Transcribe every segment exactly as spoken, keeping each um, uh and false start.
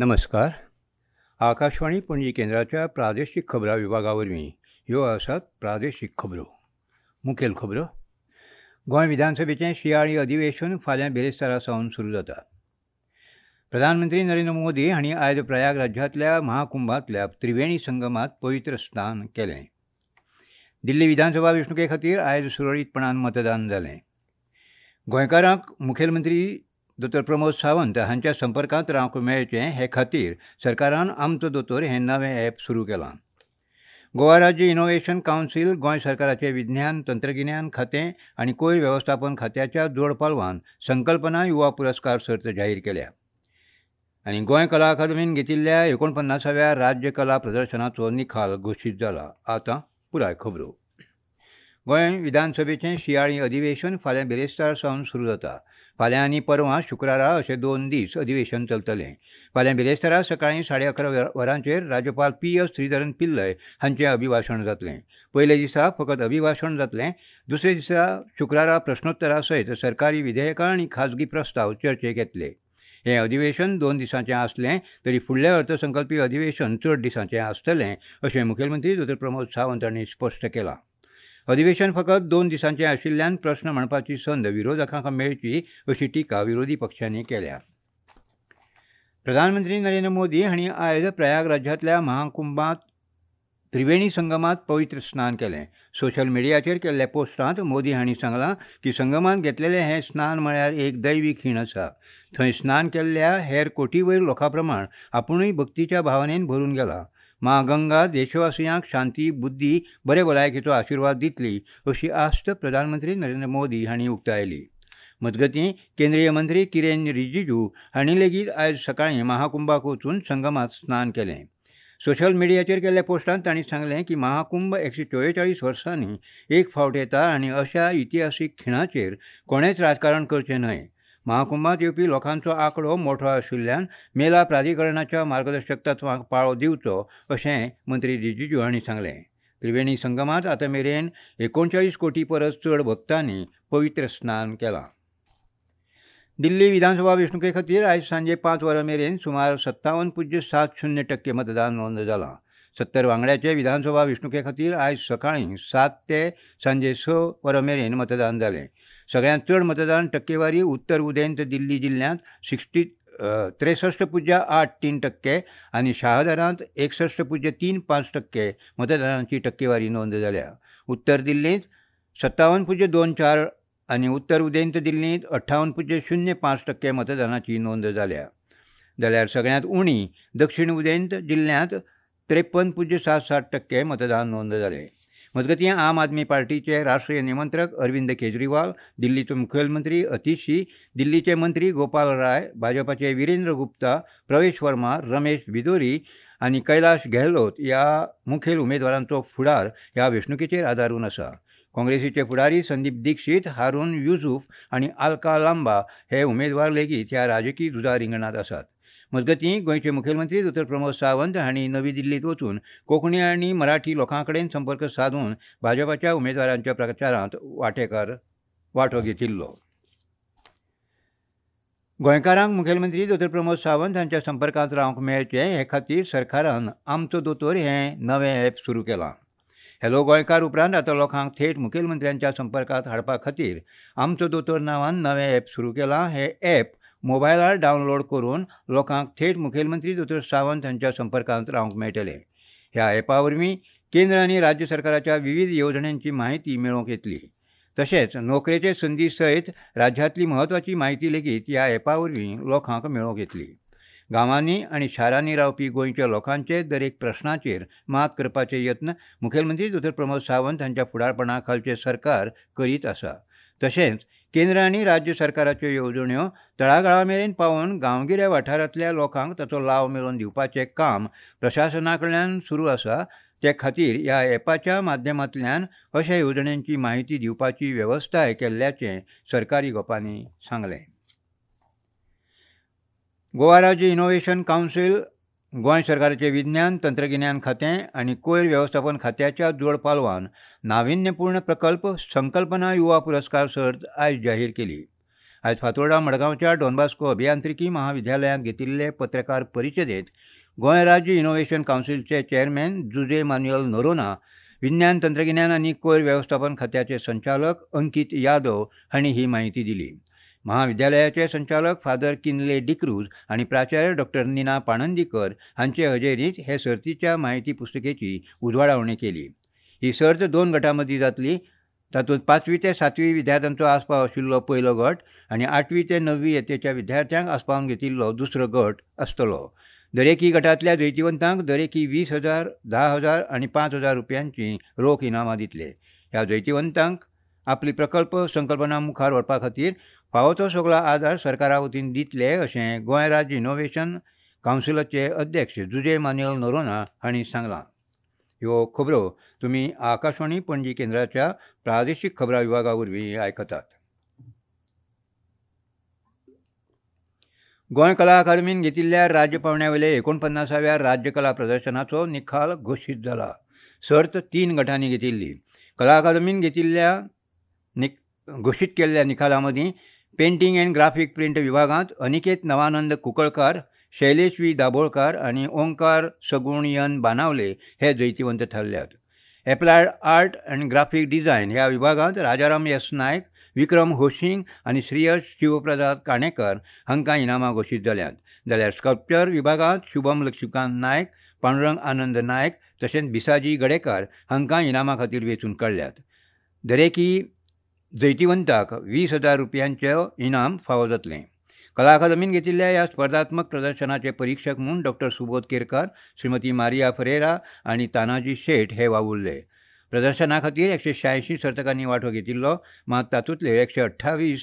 नमस्कार. आकाशवाणी पणजी केंद्राच्या प्रादेशीक खबरां विभागा वरवीं ह्यो आसात प्रादेशीक खबरो. मुखेल खबरो. गोंय विधानसभेचें शिंयाळी अधिवेशन फाल्यां बिरेस्तारा सावन सुरू जाता. प्रधानमंत्री नरेंद्र मोदी हांणी आयज प्रयाग राज्यांतल्या महाकुंभांतल्या त्रिवेणी संगमांत पवित्र स्नान केलें. दिल्ली विधानसभा वेंचणुके खातीर आयज सुरळीतपणान मतदान जालें. गोंयकारांक मुखेलमंत्री दोतोर प्रमोद सावंत हांच्या संपर्कांत रावंक मेळचें हे खातीर सरकारान आमचो दोतोर हें नवें ॲप सुरू केलां. गोवा राज्य इनोव्हेशन कावन्सील गोंय सरकाराचें विज्ञान तंत्रगिन्यान खातें आनी कोयर वेवस्थापन खात्याच्या जोडपालवान संकल्पना युवा पुरस्कार सर्त जाहीर केल्या. आनी गोंय कला अकादमीन घेतिल्ल्या एकोणपन्नासाव्या राज्य कला प्रदर्शनाचो निकाल घोशीत जाला. आतां पुराय खबरो. गोंय विधानसभेचें शिंयाळी अधिवेशन फाल्यां बिरेस्तार सावन सुरू जाता. फाल्यां आनी परवां शुक्रारा अशे दोन दीस अधिवेशन चलतलें. फाल्यां बिरेस्तारा सकाळीं साडे अकरा वरांचेर राज्यपाल पी एस श्रीधरन पिल्लय हांचें अभिभाशण जातलें. पयल्या दिसा फकत अभिभाशण जातलें. दुसऱ्या दिसा शुक्रारा प्रश्नोत्तरा सयत सरकारी विधेयकां आनी खाजगी प्रस्ताव चर्चेक येतले. हें अधिवेशन दोन दिसांचें आसलें तरी फुडलें अर्थसंकल्पी अधिवेशन चड दिसांचें आसतलें अशें मुखेलमंत्री दोतोर प्रमोद सावंत हांणी स्पश्ट केलां. अधिवेशन फकत दोन दिसांचें आशिल्ल्यान प्रस्न मांडपाची संद विरोधकांक मेळची अशी टिका विरोधी पक्षांनी केल्या. प्रधानमंत्री नरेंद्र मोदी हांणी आयज प्रयाग राज्यांतल्या महाकुंभांत त्रिवेणी संगमांत पवित्र स्नान केलें. सोशल मिडियाचेर केल्ल्या पोस्टांत मोदी हांणी सांगलां की संगमांत घेतलेलें हें स्नान म्हळ्यार एक दैवी खीण आसा. थंय स्नान केल्ल्या हेर कोटी वयर लोकां प्रमाण आपुणूय भक्तीच्या भावनेन भरून गेला. मां गंगा देशवासियांक शांती, बुद्धी, बरे भलायकेचो आशिर्वाद दितली अशी आस्त प्रधानमंत्री नरेंद्र मोदी हांणी उक्तायली. मजगतीं केंद्रीय मंत्री किरेन रिजिजू हांणी लेगीत आयज सकाळीं महाकुंभाक वचून संगमांत स्नान केलें. सोशल मिडियाचेर केल्ल्या पोस्टांत तांणी सांगलें की महाकुंभ एकशे चोवेचाळीस वर्सांनी एक फावट येता आनी अशा इतिहासीक खिणाचेर कोणेंच राजकारण करचें न्हय. महाकुंभांत येवपी लोकांचो आंकडो मोठो आशिल्ल्यान मेला प्राधिकरणाच्या मार्गदर्शक तत्वांक पाळो दिवचो अशें मंत्री रिजिजू हांणी सांगलें. त्रिवेणी संगमांत आतां मेरेन एकोणचाळीस कोटी परस चड भक्तांनी पवित्र स्नान केलां. दिल्ली विधानसभा वेंचणुके खातीर आयज सांजे पांच वरां मेरेन सुमार सत्तावन पुज्य सात शून्य टक्के मतदान नोंद जालां. सत्तर वांगड्याचे विधानसभा वेंचणुके खातीर आयज सकाळीं सात ते सांजे स वरां मेरेन मतदान जालें. सगळ्यांत चड मतदान टक्केवारी उत्तर उदेंत दिल्ली जिल्ल्यांत सिक्स्टी त्रेसश्ट पुज्य आठ तीन टक्के आनी शाहदरांत एकसश्ट पुज्य तीन पांच टक्के मतदानाची टक्केवारी नोंद जाल्या. उत्तर दिल्लींत सत्तावन पुज्य दोन चार आनी उत्तर उदेंत दिल्लींत अठ्ठावन पुज्य शून्य पांच टक्के मतदानाची नोंद जाल्या. जाल्यार सगळ्यांत उणी दक्षिण उदेंत जिल्ल्यांत त्रेपन पुज्य सात सात टक्के मतदान नोंद जालें. मजगतीं आम आदमी पार्टीचे राष्ट्रीय निमंत्रक अरविंद केजरीवाल, दिल्लीचो मुखेलमंत्री अतिशी, दिल्लीचे मंत्री गोपाल राय, भाजपाचे विरेंद्र गुप्ता, प्रवेश वर्मा, रमेश बिदोरी आनी कैलाश गेहलोत ह्या मुखेल उमेदवारांचो फुडार ह्या वेंचणुकेचेर आदारून आसा. काँग्रेसीचे फुडारी संदीप दीक्षित, हारून युसूफ आनी आलका लांबा हे उमेदवार लेगीत ह्या राजकी झुजा रिंगणांत आसात. मजगतीं गोंयचे मुखेलमंत्री दोतोर प्रमोद सावंत हांणी नवी दिल्लींत वचून कोंकणी आनी मराठी लोकां कडेन संपर्क सादून भाजपाच्या उमेदवारांच्या प्रचारांत वांटेकार वांटो घेतिल्लो. गोंयकारांक मुखेलमंत्री दोतोर प्रमोद सावंत हांच्या संपर्कांत रावंक मेळचें हे खातीर सरकारान आमचो दोतोर हें नवें ॲप सुरू केलां. हॅलो गोंयकार उपरांत आतां लोकांक थेट मुखेलमंत्र्यांच्या संपर्कांत हाडपा खातीर आमचो दोतोर नांवान नवें ॲप सुरू केलां. हें ॲप मोबायलार डावनलोड करून लोकांक थेट मुखेलमंत्री दोतोर सावंत हांच्या संपर्कांत रावंक मेळटलें. ह्या ॲपा वरवीं केंद्र आनी राज्य सरकाराच्या विविध येवजण्यांची म्हायती मेळोवंक येतली. तशेंच नोकरेचे संदी सयत राज्यांतली म्हत्वाची म्हायती लेगीत ह्या ॲपा वरवीं लोकांक मेळोवंक येतली. गांवांनी आनी शारांनी रावपी गोंयच्या लोकांचे दरेक प्रश्नाचेर मात करपाचे यत्न मुखेलमंत्री दोतोर प्रमोद सावंत हांच्या फुडारपणा खालचें सरकार करीत आसा. तशेंच केंद्र आनी राज्य सरकाराच्यो येवजण्यो तळागाळा मेरेन पावोवन गांवगिऱ्या वाठारांतल्या लोकांक ताचो लाव मेळोवन दिवपाचें काम प्रशासना कडल्यान सुरू आसा. ते खातीर ह्या ॲपाच्या माध्यमांतल्यान अशा येवजण्यांची म्हायती दिवपाची वेवस्थाय केल्ल्याचें सरकारी गोपांनी सांगलें. गोवा राज्य इनोव्हेशन कावन्सील, गोंय सरकाराचें विज्ञान तंत्रगिन्यान खातें आनी कोयर वेवस्थापन खात्याच्या जोड पालवान नाविन्यपूर्ण प्रकल्प संकल्पना युवा पुरस्कार सर्त आयज जाहीर केली. आयज फातोर्डा मडगांवच्या डॉन बॉस्को अभियांत्रिकी महाविद्यालयांत घेतिल्ले पत्रकार परिशदेंत गोंय राज्य इनोव्हेशन कावन्सिलचे चेअरमॅन जुजे मान्युएल नोरोन्हा, विज्ञान तंत्रगिन्यान आनी कोयर वेवस्थापन खात्याचे संचालक अंकित यादव हांणी ही म्हायती दिली. महाविद्यालयाचे संचालक फादर किनले डिक्रूज आनी प्राचार्य डॉक्टर नीना पाणंदीकर हांचे हजेरींत हे सर्तीच्या म्हायती पुस्तिकेची उजवाडावणी केली. ही सर्त दोन गटां मदीं जातली. तातूंत पांचवी ते सातवी विद्यार्थ्यांचो आस्पाव आशिल्लो पयलो गट आनी आठवी ते णव्वी यत्तेच्या विद्यार्थ्यांक आस्पावन घेतिल्लो दुसरो गट आसतलो. दरेकी गटांतल्या जैतिवंतांक दरेकी वीस हजार, धा हजार आनी पांच हजार रुपयांची रोख इनामां दितले. ह्या जैतिवंतांक आपली प्रकल्प संकल्पना मुखार व्हरपा खातीर फावो तो सगळो आदार सरकारा वतीन दितले अशें गोंय राज्य इनोव्हेशन कावन्सिलाचे अध्यक्ष जुजे मान्युएल नोरोन्हा हांणी सांगलां. ह्यो खबरो तुमी आकाशवाणी पणजी केंद्राच्या प्रादेशीक खबरां विभागा वरवीं आयकतात. गोंय कला अकादमीन घेतिल्ल्या राज्य पांवड्या वयल्या एकोणपन्नासाव्या राज्य कला प्रदर्शनाचो निकाल घोशीत जाला. सर्त तीन गटांनी घेतिल्ली. कला अकादमीन घेतिल्ल्या घोशीत केल्ल्या निकाला मदीं पेंटींग अँड ग्राफीक प्रिंट विभागांत अनिकेत नवानंद कुंकळकार, शैलेश व्ही दाभोळकार आनी ओंकार सगुणयन बानावले हे जैतिवंत थारल्यात. Applied art and graphic design ह्या विभागांत राजाराम एस नायक, विक्रम होशिंग आनी श्रेयस शिवप्रसाद काणेकर हांकां इनामां घोशीत जाल्यांत. जाल्यार स्कल्पचर विभागांत शुभम लक्ष्मीकांत नायक, पांडुरंग आनंद नायक तशेंच बिसाजी गडेकार हांकां इनामां खातीर वेंचून काडल्यात. दरेकी जैतिवंताक वीस हजार रुपयांचें इनाम फावो जातलें. कला अकादमीन घेतिल्ल्या ह्या स्पर्धात्मक प्रदर्शनाचे परिक्षक म्हूण डॉक्टर सुबोध केरकार, श्रीमती मारिया फरेरा आनी तानाजी शेट हे वावुरले. प्रदर्शना खातीर एकशे श्यायशीं सर्तकांनी वांटो घेतिल्लो, मात तातूंतले एकशे अठ्ठावीस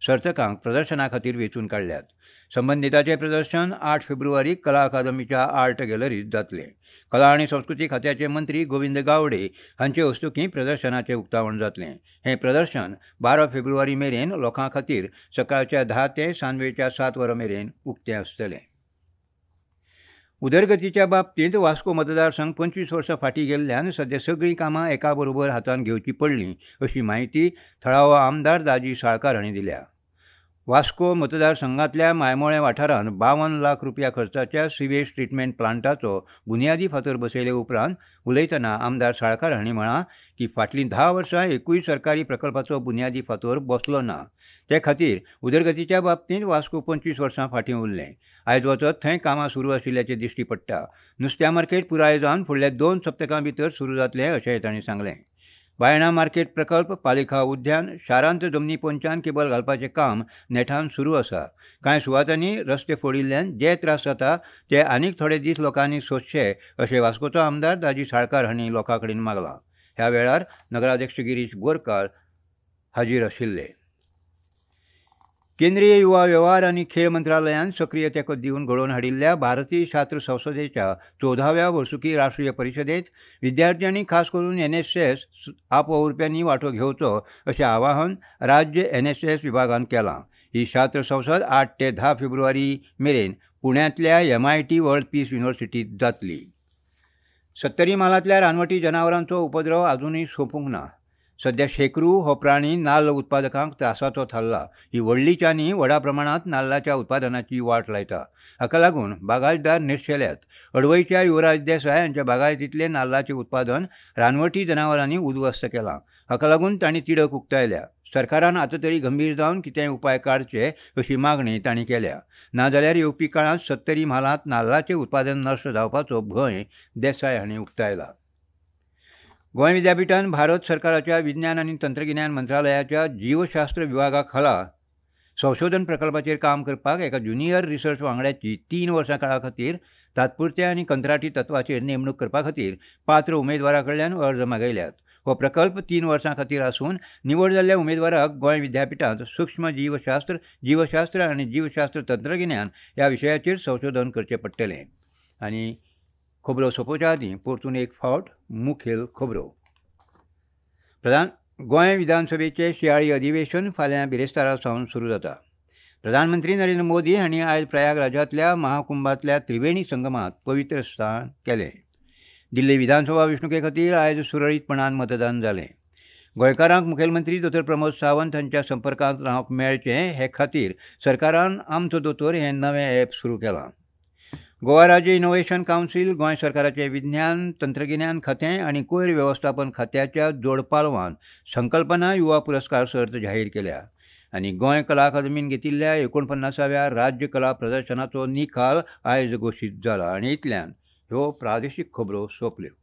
सर्तकांक प्रदर्शना खातीर वेंचून काडल्यात. संबंदिताचें प्रदर्शन आठ फेब्रुवारीक कला अकादमीच्या आर्ट गॅलरींत जातलें. कला आनी संस्कृती खात्याचे मंत्री गोविंद गावडे हांचे हस्तुकीं प्रदर्शनाचें उक्तावण जातलें. हें प्रदर्शन बारा फेब्रुवारी मेरेन लोकां खातीर सकाळच्या धा ते सांजवेळच्या सात वरां मेरेन उक्तें आसतलें. उदरगतीच्या बाबतींत वास्को मतदारसंघ पंचवीस वर्सां फाटीं गेल्ल्यान सद्या सगळीं कामां एका बरोबर हातांत घेवची पडलीं अशी म्हायती थळावो आमदार दाजी साळकार हांणी दिल्या. वास्को मतदारसंघांतल्या मायमोळें वाठारांत बावन लाख रुपया खर्चाच्या सिवेज ट्रिटमेंट प्लांटाचो बुन्यादी फातर बसयले उपरांत उलयतना आमदार साळकार हांणी म्हळां की फाटलीं धा वर्सां एकूय सरकारी प्रकल्पाचो बुन्यादी फातर बसलो ना. ते खातीर उदरगतीच्या बाबतींत वास्को पंचवीस वर्सां फाटीं उरलें. आयज वचत थंय कामां सुरू आशिल्ल्याचें दिश्टी पडटा. नुस्त्या मार्केट पुराय जावन फुडल्या दोन सप्तकां भितर सुरू जातलें अशेंय तांणी सांगलें. बायणा मार्केट प्रकल्प, पालिका उद्यान, शारांत जमनी पोंच्यान केबल घालपाचें काम नेटान सुरू आसा. कांय सुवातांनी रस्ते फोडिल्ल्यान जे त्रास जाता ते आनीक थोडे दीस लोकांनी सोंसचे अशें वास्कोचो आमदार दाजी साळकार हांणी लोकां कडेन मागलां. ह्या वेळार नगराध्यक्ष गिरीश बोरकार हाजीर आशिल्ले. केंद्रीय युवा वेव्हार आनी खेळ मंत्रालयान सक्रीय तेंको दिवन घडोवन हाडिल्ल्या भारतीय शास्त्र संसदेच्या चवदाव्या वर्सुकी राष्ट्रीय परिशदेंत विद्यार्थ्यांनी खास करून एन एस एस आपवावुरप्यांनी वांटो घेवचो अशें आवाहन राज्य एन एस एस विभागान केलां. ही शास्त्र संसद आठ ते धा फेब्रुवारी मेरेन पुण्यांतल्या M I T world peace युनिव्हर्सिटींत जातली. सत्तरी म्हालांतल्या रानवटी जनावरांचो उपद्रव आजुनूय सोंपूंक ना. सद्या शेकरू हो प्राणी नाल्ल उत्पादकांक त्रासाचो थारला. ही व्हडली चानी व्हडा प्रमाणांत नाल्लाच्या उत्पादनाची वाट लायता. हाका लागून बागायतदार निर्शेल्यात. अडवयच्या युवराज देसाय हांच्या बागायतींतलें नाल्लाचें उत्पादन रानवटी जनावरांनी उद्ध्वस्त केलां. हाका लागून तांणी तिडक उक्तायल्या. सरकारान आतां तरी गंभीर जावन कितेंय उपाय काडचे अशी मागणी तांणी केल्या. नाजाल्यार येवपी काळांत सत्तरी म्हालांत नाल्लाचें उत्पादन नश्ट जावपाचो भंय देसाय हांणी उक्तायला. गोंय विद्यापिठान भारत सरकाराच्या विज्ञान आनी तंत्रगिन्यान मंत्रालयाच्या जीवशास्त्र विभागा खाला संशोधन प्रकल्पाचेर काम करपाक एका ज्युनियर रिसर्च वांगड्याची तीन वर्सां काळा खातीर तात्पुरत्या आनी कंत्राटी तत्वाचेर नेमणूक करपा खातीर पात्र उमेदवारा कडल्यान अर्ज मागयल्यात. हो प्रकल्प तीन वर्सां खातीर आसून निवड जाल्ल्या उमेदवाराक गोंय विद्यापिठांत सूक्ष्म जीवशास्त्र, जीवशास्त्र आनी जीवशास्त्र तंत्रगिन्यान ह्या विशयाचेर संशोधन करचें पडटलें. आनी खबरो सोंपोवच्या आदीं परतून एक फावट मुखेल खबरो. प्रधान गोंय विधानसभेचें शिंयाळी अधिवेशन फाल्यां बिरेस्तारा सावन सुरू जाता. प्रधानमंत्री नरेंद्र मोदी हांणी आयज प्रयागराजांतल्या महाकुंभांतल्या त्रिवेणी संगमांत पवित्र स्नान केलें. दिल्ली विधानसभा वेंचणुके खातीर आयज सुरळीतपणान मतदान जालें. गोंयकारांक मुखेलमंत्री दोतोर प्रमोद सावंत हांच्या संपर्कांत रावंक मेळचें हे खातीर सरकारान आमचो दोतोर हें नवें ॲप सुरू केलां. गोवा राज्य इनोव्हेशन कावन्सील, गोंय सरकाराचें विज्ञान तंत्रगिन्यान खातें आनी कोयर वेवस्थापन खात्याच्या जोडपालवान संकल्पना युवा पुरस्कार सर्त जाहीर केल्या. आनी गोंय कला अकादमीन घेतिल्ल्या एकोणपन्नासाव्या राज्य कला प्रदर्शनाचो निकाल आयज घोशीत जाला. आनी इतल्यान ह्यो प्रादेशीक खबरो सोंपल्यो.